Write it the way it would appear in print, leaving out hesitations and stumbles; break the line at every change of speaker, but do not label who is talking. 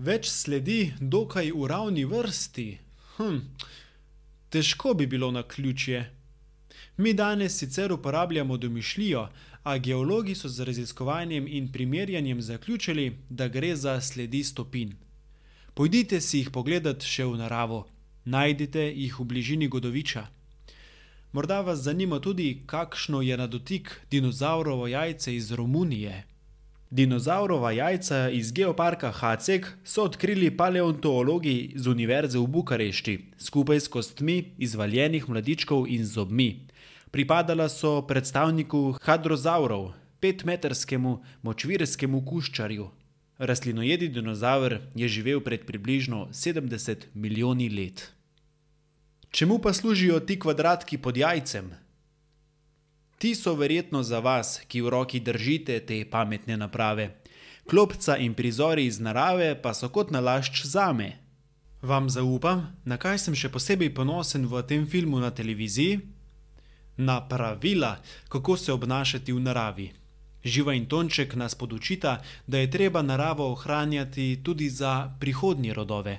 Več sledi dokaj v ravni vrsti. Težko bi bilo naključje. Mi danes sicer uporabljamo domišljijo, a geologi so z raziskovanjem in primerjanjem zaključili, da gre za sledi stopinj. Pojdite si jih pogledat še v naravo. Najdite jih v bližini Godoviča. Morda vas zanima tudi, kakšno je na dotik dinozavrovo jajce iz Romunije. Dinozavrova jajca iz geoparka Haceg so odkrili paleontologi z univerze v Bukarešti, skupaj s kostmi izvaljenih mladičkov in zobmi. Pripadala so predstavniku hadrozavrov, 5-metrskemu močvirskemu kuščarju. Rastlinojedi dinozaver je živel pred približno 70 milijoni let. Čemu pa služijo ti kvadratki pod jajcem? Ti so verjetno za vas, ki v roki držite te pametne naprave. Klopca in prizori iz narave pa so kot nalašč zame. Vam zaupam, na kaj sem še posebej ponosen v tem filmu na televiziji? Na pravila, kako se obnašati v naravi. Živa in Tonček nas podučita, da je treba naravo ohranjati tudi za prihodnje rodove.